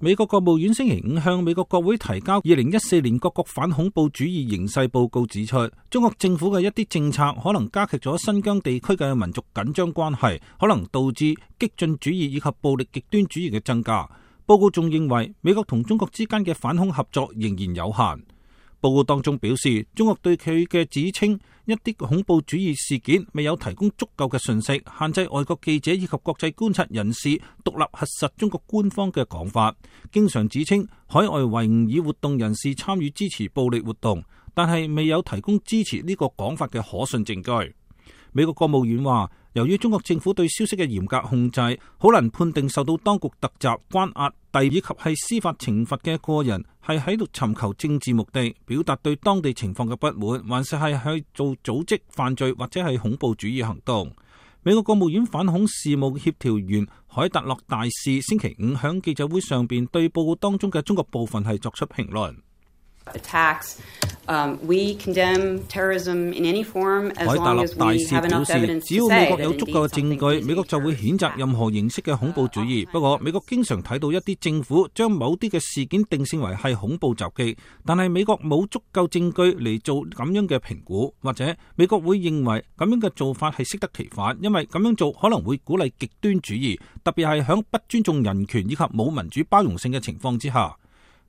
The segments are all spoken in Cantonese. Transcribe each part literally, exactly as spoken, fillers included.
美國國務院星期五向美國國會提交二零一四年各國反恐怖主義形勢報告，指出中國政府嘅一啲政策可能加劇咗新疆地區嘅民族緊張關係，可能導致激進主義以及暴力極端主義嘅增加。報告仲認為美國同中國之間嘅反恐合作仍然有限。報告當中表示，中國對佢嘅指稱一啲恐怖主義事件未有提供足夠嘅信息，限制外國記者以及國際觀察人士獨立核實中國官方嘅講法，經常指稱海外維吾爾活動人士參與支持暴力活動，但係未有提供支持呢個講法嘅可信證據。美國國務院話，由於中國政府對消息嘅嚴格控制，好難判定受到當局突襲、關押、逮以及係司法懲罰嘅個人係喺度尋求政治目的，表達對當地情況嘅不滿，還是係去做組織犯罪或者係恐怖主義行動。美國國務院反恐事務協調員海達洛大使星期五響記者會上邊對報告當中嘅中國部分係作出評論。Attacks, um, we condemn terrorism in any form as 海達 long 洛 as 大 we 使 have 表 enough 示， evidence 只要 to 美 say 國 that 有足 indeed 夠嘅證 something 據，美國就會譴責任何形式嘅恐怖主義。不過，美國經常睇到一啲政府將某啲嘅事件定性為係恐怖襲擊，但係美國冇足夠證據嚟做咁樣嘅評估，或者美國會認為咁樣嘅做法係適得其反，因為咁樣做可能會鼓勵極端主義，特別係響不尊重人權以及冇民主包容性嘅情況之下。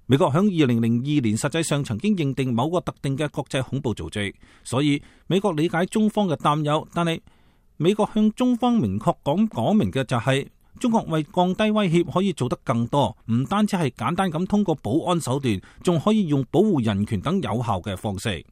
美國響二零零二年實際上曾經認定某個特定嘅國際恐怖組織，所以美國理解中方嘅擔憂，但係美國向中方明確講講明嘅就係，中國為降低威脅可以做得更多，唔單止係簡單咁通過保安手段，仲可以用保護人權等有效嘅方式。